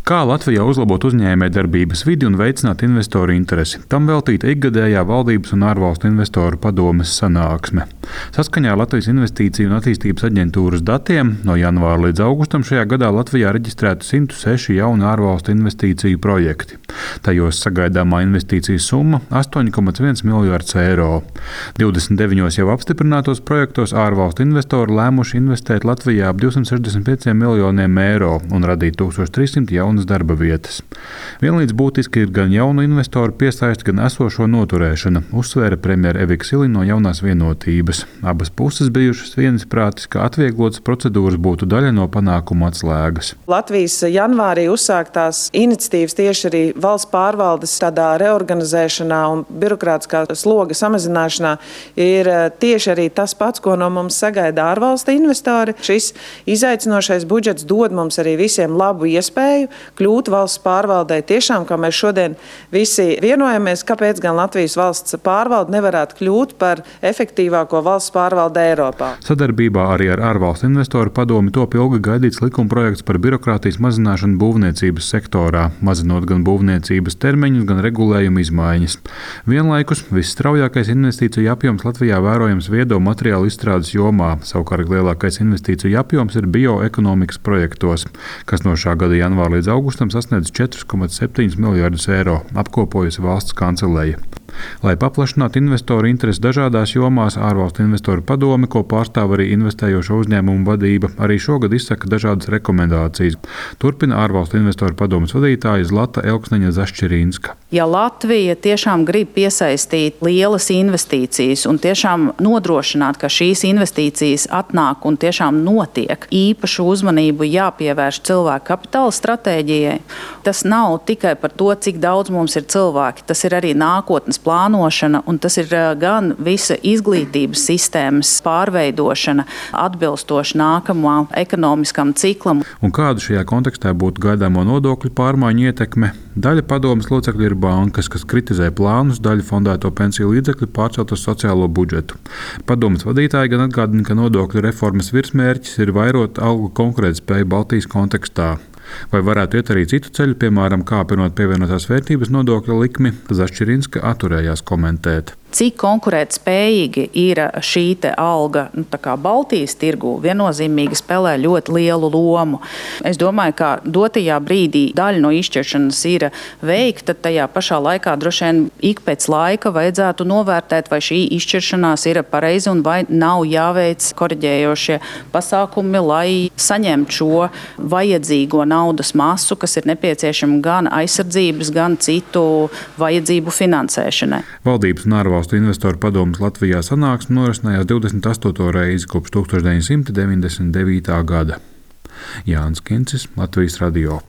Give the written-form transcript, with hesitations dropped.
Kā Latvijā uzlabot uzņēmējdarbības vidi un veicināt investoru interesi? Tam veltīta ikgadējā valdības un ārvalstu investoru padomes sanāksme. Saskaņā ar Latvijas Investīciju un attīstības aģentūras datiem no janvāra līdz augustam šajā gadā Latvijā reģistrēti 106 jauni ārvalstu investīciju projekti. Tajos sagaidāmā investīciju summa - 8,1 miljards eiro. 29 jau apstiprinātos projektos ārvalstu investori lēmuši investēt Latvijā ap 265 miljoniem eiro un radīt 1300 jaunas darba vietas. Vienlīdz būtiski ir gan jaunu investoru piesaiste, gan esošo noturēšana, uzsvēra premjera Evika Siliņa no Jaunās vienotības. Abas puses bijušas viensprātis, ka atvieglotas procedūras būtu daļa no panākuma atslēgas. Latvijas janvārī uzsāktās iniciatīvas tieši arī valsts pārvaldes tādā reorganizēšanā un birokrātiskā sloga samazināšanā ir tieši arī tas pats, ko no mums sagaida ārvalstu investori. Šis izaicinošais budžets dod mums arī visiem labu iespēju kļūt valsts pārvaldei tiešām, kā mēs šodien visi vienojamies, kāpēc gan Latvijas valsts pārvalde nevarētu kļūt par efektīvāko valsts pārvaldi Eiropā. Sadarbībā arī ar ārvalstu investoru padomi top ilgi gaidīts likumprojekts par birokrātijas mazināšanu būvniecības sektorā, mazinot gan būvniecības termiņus, gan regulējumu izmaiņas. Vienlaikus visstraujākais investīciju apjoms Latvijā vērojams viedo materiālu izstrādes jomā, savukārt lielākais investīciju apjoms ir bioekonomikas projektos, kas no šā gada janvāra līdz augustam sasniedz 4,7 miljardus eiro, apkopojusi valsts kanceleja. Lai paplašinātu investoru interesi dažādās jomās, ārvalstu investoru padome, ko pārstāv arī investējošo uzņēmumu vadība, arī šogad izsaka dažādas rekomendācijas. Turpina ārvalstu investoru padomes vadītāja Zlata Elksniņa Zašķirīnska. Ja Latvija tiešām grib piesaistīt lielas investīcijas un tiešām nodrošināt, ka šīs investīcijas atnāk un tiešām notiek, īpašu uzmanību jāpievērš cilvēku kapitāla stratēģijai. Tas nav tikai par to, cik daudz mums ir cilvēki, tas ir arī nākotnes plānošana, un tas ir gan visa izglītības sistēmas pārveidošana atbilstoši nākamā ekonomiskam ciklam. Un kāda šajā kontekstā būtu gaidāmo nodokļu pārmaiņu ietekme? Daļa padomes locekļu ir bankas, kas kritizē plānus daļu fondēto pensiju līdzekļu pārcelt uz sociālo budžetu. Padomes vadītāji gan atgādina, ka nodokļu reformas virsmērķis ir vairot algu konkurētspēju Baltijas kontekstā. Vai varētu iet arī citu ceļu, piemēram, kāpinot pievienotās vērtības nodokļa likmi, Zašķirīnska atturējās komentēt. Cik konkurētspējīgi ir šī alga Baltijas tirgū, viennozīmīgi spēlē ļoti lielu lomu. Es domāju, ka dotajā brīdī daļa no izšķiršanas ir veikta, tajā pašā laikā droši vien ik pēc laika vajadzētu novērtēt, vai šī izšķiršanās ir pareiza un vai nav jāveic koriģējošie pasākumi, lai saņemtu šo vajadzīgo naudas masu, kas ir nepieciešama gan aizsardzības, gan citu vajadzību finansēšanai. Valdības un ārvalstu investoru padomes Latvijā sanāksme norisinājās 28. reizi kopš 1999. gada. Jānis Kincis, Latvijas radio.